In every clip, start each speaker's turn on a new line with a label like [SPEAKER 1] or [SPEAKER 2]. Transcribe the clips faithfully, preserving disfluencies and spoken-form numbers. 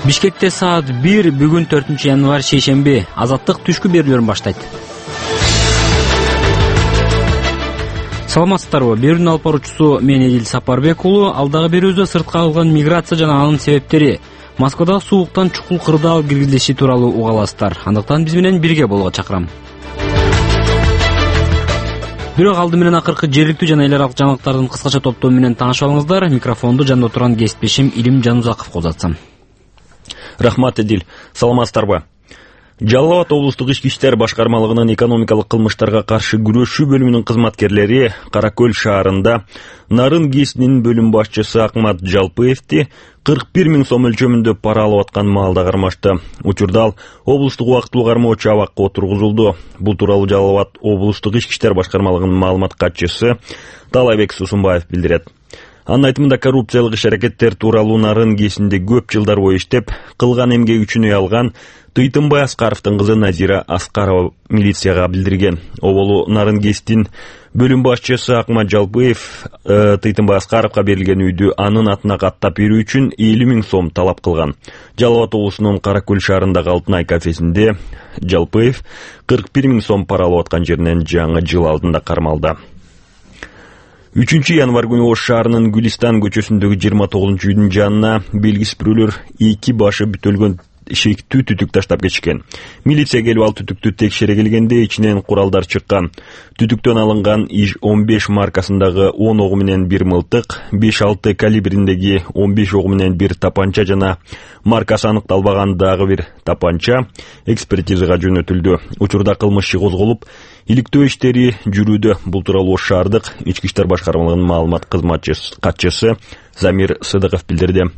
[SPEAKER 1] Бишкекте саат бир бүгүн төртүнчү январь шейшемби. Азаттык түшкү берүүлөрүн баштайт. Саламатсыздарбы? Берүүнүн алып баруучусу мен Эдил Сапарбек уулу. Алдагы берүүбүздө сыртка алган миграция жана анын себептери, Москвадагы сууктан чукул кырдаал киргизилиши тууралуу уга аласыздар. Андыктан биз менен бирге болууга чакырам. Бирок алды менен акыркы жергиликтүү жана эл аралык жаңылыктардын кыскача топтому менен таанышып алыңыздар. Микрофонду жанында отурган кесиптешим Илим Жанузаковго узатсам.
[SPEAKER 2] Рахмат, Эдил. Саламатсыздарбы? Жалал Абад облустук ички иштер башкармалыгынын экономикалык кылмыштарга каршы күрөшүү бөлүмүнүн кызматкерлери Кара Көл шаарында Нарын ГЭСинин бөлүм башчысы Акмат Жалпыевди кырк бир миң сом өлчөмүндө пара алып аткан маалда кармашты. Учурда ал облустук убактылуу кармоочу абакка отургузулду. Бул тууралуу Жалал Абад облустук ички иштер башкармалыгынын маалымат катчысы Талайбек Сусунбаев билдирет. Анын айтымында коррупциялык иш-аракеттер тууралуу Нарын ГЭСинде көп жылдар бою иштеп, кылган эмгеги үчүн үй алган Тыйтымбай Аскаровдун кызы Назира Аскарова милицияга билдирген. Оболу Нарын ГЭСтин бөлүм башчысы Акмат Жалпыев э, Тыйтымбай Аскаровго берилген үйдү анын атына каттап берүү үчүн элүү миң сом талап кылган. Жалал Абад облусунун Кара Көл шаарындагы Алтынай кафесинде Жалпыев кырк бир миң сом пара алып аткан жеринен жаңы жыл алдында кармалды. үчүнчү январь күнү Ош шаарынын Гүлистан көчөсүндөгү жыйырма тогузунчу үйдүн жанына белгисиз бирөөлөр эки башы бүтөлгөн шектүү түтүк таштап кетишкен. Милиция келип ал түтүктү текшере келгенде ичинен куралдар чыккан. Түтүктөн алынган иж он беш маркасындагы он огу менен бир мылтык, беш алты калибриндеги он беш огу менен бир тапанча жана маркасы аныкталбаган дагы бир тапанча экспертизага жөнөтүлдү. Учурда кылмыш иши козголуп, иликтөө иштери жүрүүдө. Бул тууралуу Ош шаардык ички иштер башкармалыгынын маалымат кызматчысы катчысы Замир Сыдыков билдирди.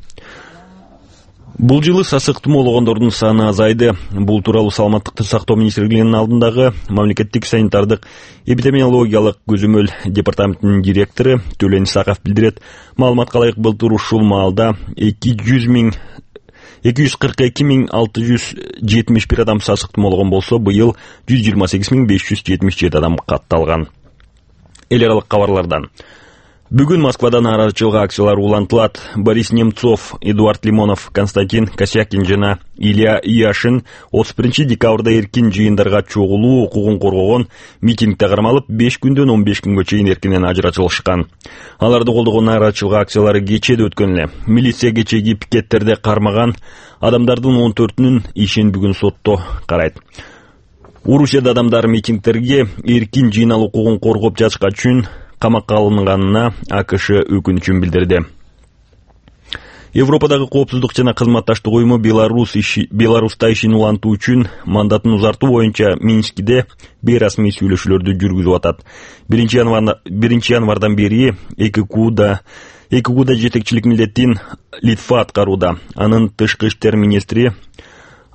[SPEAKER 2] Бул жылы сасык тумоологондордун саны азайды. Бул тууралуу Саламаттыкты сактоо министрлигинин алдындагы мамлекеттик санитардык эпидемиологиялык көзөмөл департаментинин директору Төлөн Исаков билдирет. Маалыматка ылайык былтыр ушул маалда эки жүз миң эки жүз кырк эки миң алты жүз жетимиш бир адам сасык тумоологон болсо, быйыл жүз жыйырма сегиз миң беш жүз жетимиш жети адам катталган. Эл аралык кабарлардан. Бүгүн Москвада нааразычылык акциялары улантылат. Борис Немцов, Эдуард Лимонов, Константин Косякин жана Илья Яшин отуз биринчи декабрда эркин жыйындарга чогулуу укугун коргогон митингде кармалып, беш күндөн он беш күнгө чейин эркинен ажыратылышкан. Аларды колдогон нааразычылык акциялары кечеде өткөн эле. Милиция кечеги пикеттерде кармаган адамдардын он төртүнүн ишин бүгүн сотто карайт. Орусияда адамдар митингдерге эркин жыйналуу укугун коргоп жатышка үчүн камакка алынганына АКШ өкүнүчүн билдирди. Европадагы коопсуздук жана кызматташтык уюму Беларусь иши, Беларуста ишин улантуу үчүн мандатын узартуу боюнча Минскиде бейрасмий сүйлөшүүлөрдү жүргүзүп атат. биринчи январдан бери ЭККУда ЭККУда жетекчилик милдетин Литва аткарууда. Анын тышкы иштер министри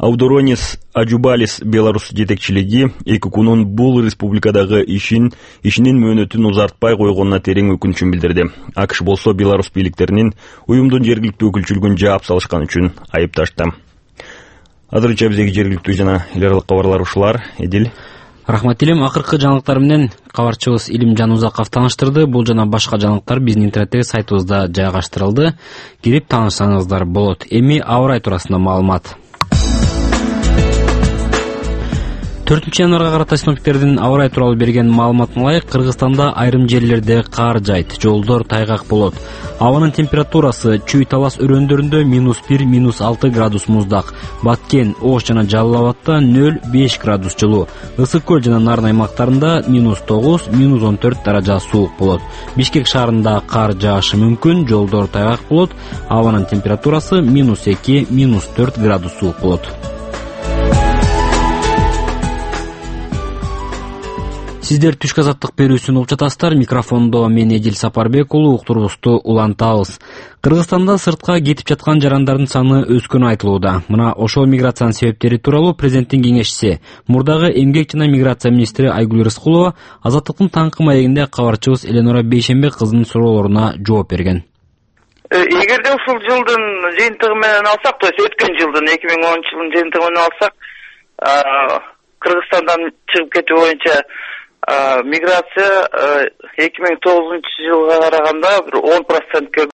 [SPEAKER 2] Аудоронис Аджубалис Беларусь жетекчилиги ЭККУнун бул республикадагы ишин ишинин мөөнөтүн узартпай койгонуна терең өкүнүчүн билдирди. АКШ болсо Беларусь бийликтеринин уюмдун жергиликтүү өкүлчүлүгүн жаап салышкан үчүн айыпташты. Азырынча биздеги жергиликтүү жана эл аралык кабарлар ушулар. Эдил.
[SPEAKER 1] Рахмат Илим. Акыркы жаңылыктар менен кабарчыбыз Илим Жанузаков тааныштырды. Бул жана башка жаңылыктар биздин интернеттеги сайтыбызда жайгаштырылды. Кирип таанышсаңыздар болот. Эми аба ырайы туурасында маалымат. төртүнчү январга карата синоптиктердин аба ырайы тууралуу берген маалыматына ылайык, Кыргызстанда айрым жерлерде кар жайт, жолдор тайгак болот. Абанын температурасы Чүй Талас өрөөндөрүндө минус бир минус алты градус муздак, Баткен, Ош жана Жалал Абадта нөл беш градус жылуу, Ысык көл жана Нарын аймактарында минус тогуз минус он төрт даража суук болот. Бишкек шаарында кар жаашы мүмкүн, жолдор тайгак болот, абанын температурасы минус эки минус төрт градус суук болот. Сиздер түшкү азаттык берүүсүн угуп жатасыздар. Микрофондо мен Эдил Сапарбек уулу, уктурубузду улантабыз. Кыргызстанда сыртка кетип жаткан жарандардын саны өскөнү айтылууда. Мына ошол миграциянын себептери тууралуу президенттин кеңешчиси, мурдагы эмгек жана миграция министри Айгүл Рыскулова Азаттыктын таңкы маегинде кабарчыбыз Эленора Бейшембек кызынын суроолоруна жооп берген.
[SPEAKER 3] Эгерде ушул жылдын жыйынтыгы менен алсак, то есть өткөн жылдын эки миң онунчу жылдын жыйынтыгы менен алсак, Кыргызстандан чыгып кетүү боюнча миграция эки миң тогузунчу жылга караганда бир он процентке